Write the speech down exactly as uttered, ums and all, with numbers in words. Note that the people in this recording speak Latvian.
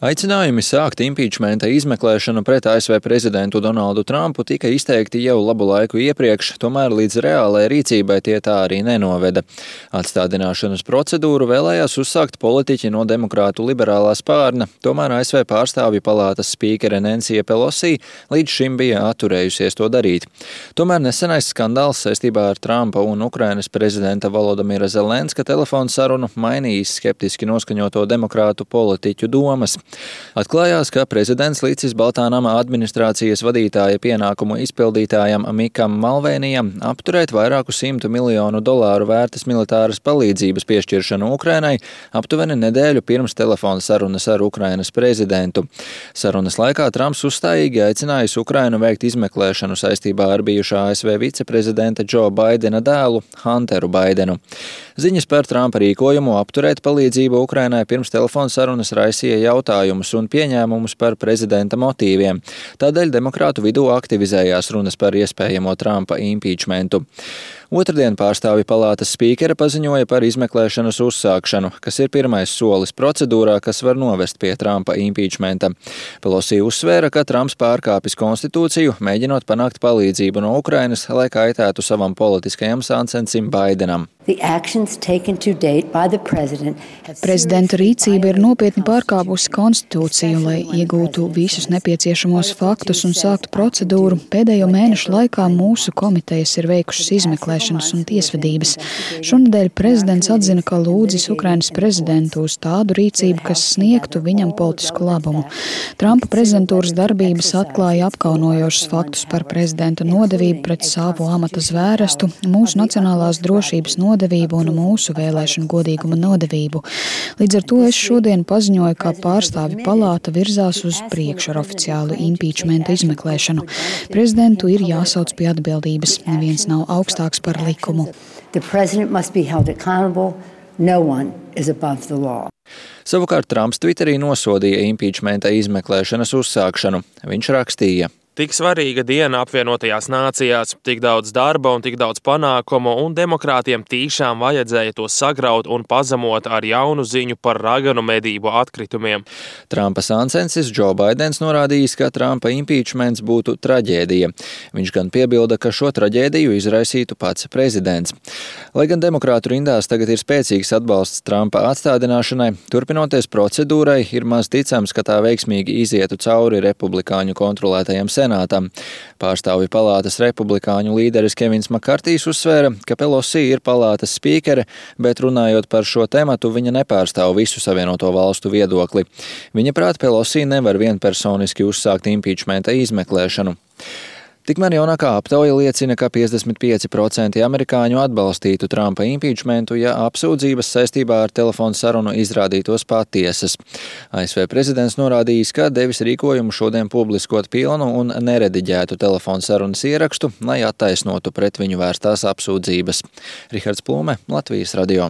Aicinājumi sākt impičmenta izmeklēšanu pret A S V prezidentu Donaldu Trumpu tika izteikti jau labu laiku iepriekš, tomēr līdz reālai rīcībai tie tā arī nenoveda. Atstādināšanas procedūru vēlējās uzsākt politiķi no demokrātu liberālā spārna, tomēr A S V pārstāvju palātas spīkere Nancy Pelosi līdz šim bija atturējusies to darīt. Tomēr nesenais skandāls saistībā ar Trumpa un Ukrainas prezidenta Volodimira Zelenska telefonu sarunu mainījis skeptiski noskaņoto demokrātu politiķu domas. Atklājās, ka prezidents līdzis Baltānama administrācijas vadītāja pienākumu izpildītājam Mikam Malvēnijam apturēt vairāku simtu miljonu dolāru vērtas militāras palīdzības piešķiršanu Ukrainai aptuveni nedēļu pirms telefona sarunas ar Ukrainas prezidentu. Sarunas laikā Trumps uzstājīgi aicinājis Ukrainu veikt izmeklēšanu saistībā ar bijušā A S V viceprezidenta Džo Baidena dēlu Hunteru Baidenu. Ziņas par Trumpa rīkojumu apturēt palīdzību Ukrainai pirms telefona sarunas raisīja jautājumus un pieņēmumus par prezidenta motīviem. Tādēļ demokrātu vidū aktivizējās runas par iespējamo Trumpa impičmentu. Otradien pārstāvju palātas spīkere paziņoja par izmeklēšanas uzsākšanu, kas ir pirmais solis procedūrā, kas var novest pie Trumpa impičmenta. Pelosi uzsvēra, ka Trumps pārkāpis konstitūciju, mēģinot panākt palīdzību no Ukrainas, lai kaitētu savam politiskajam sāncensim Baidenam. Prezidenta rīcība ir nopietni pārkāpusi konstitūciju, lai iegūtu visus nepieciešamos faktus un sāktu procedūru. Pēdējo mēnešu laikā mūsu komitejas ir veikušas izmeklēšanas un tiesvedības. Šonedēļ prezidents atzina, ka lūdzis Ukrainas prezidentu uz tādu rīcību, kas sniegtu viņam politisku labumu. Trumpa prezidentūras darbības atklāja apkaunojošus faktus par prezidenta nodevību pret savu amata zvērestu, mūsu nacionālās drošības nodevību, nodevību un mūsu vēlēšanu godīguma nodevību. Līdz ar to es šodien paziņoju, ka pārstāvju palāta virzās uz priekšu ar oficiālu impičmenta izmeklēšanu. Prezidentu ir jāsauc pie atbildības. Neviens nav augstāks par likumu. Savukārt Trumps Twitterī nosodīja impičmenta izmeklēšanas uzsākšanu. Viņš rakstīja: Tik svarīga diena apvienotajās nācijās, tik daudz darba un tik daudz panākumu, un demokrātiem tīšām vajadzēja to sagraut un pazemot ar jaunu ziņu par raganu medību atkritumiem. Trumpa sāncensis Džo Baidens norādījis, ka Trumpa impičments būtu traģēdija. Viņš gan piebilda, ka šo traģēdiju izraisītu pats prezidents. Lai gan demokrātu rindās tagad ir spēcīgs atbalsts Trumpa atstādināšanai, turpinoties procedūrai, ir maz ticams, ka tā veiksmīgi izietu cauri republikāņu kontrolētajam senātam. Pārstāvju palātas republikāņu līderis Kevins Makartijs uzsvēra, ka Pelosi ir palātas spīkere, bet runājot par šo tematu, viņa nepārstāv visu Savienoto valstu viedokli. Viņa prāt Pelosi nevar vienpersoniski uzsākt impičmenta izmeklēšanu. Tikmēr jaunākā aptauja liecina, ka piecdesmit pieci procenti amerikāņu atbalstītu Trumpa impičmentu, ja apsūdzības saistībā ar telefonu sarunu izrādītos patiesas. A S V prezidents norādījis, ka devis rīkojumu šodien publiskot pilnu un nerediģētu telefonu sarunas ierakstu, lai attaisnotu pret viņu vērstās apsūdzības. Rihards Plūme, Latvijas radio.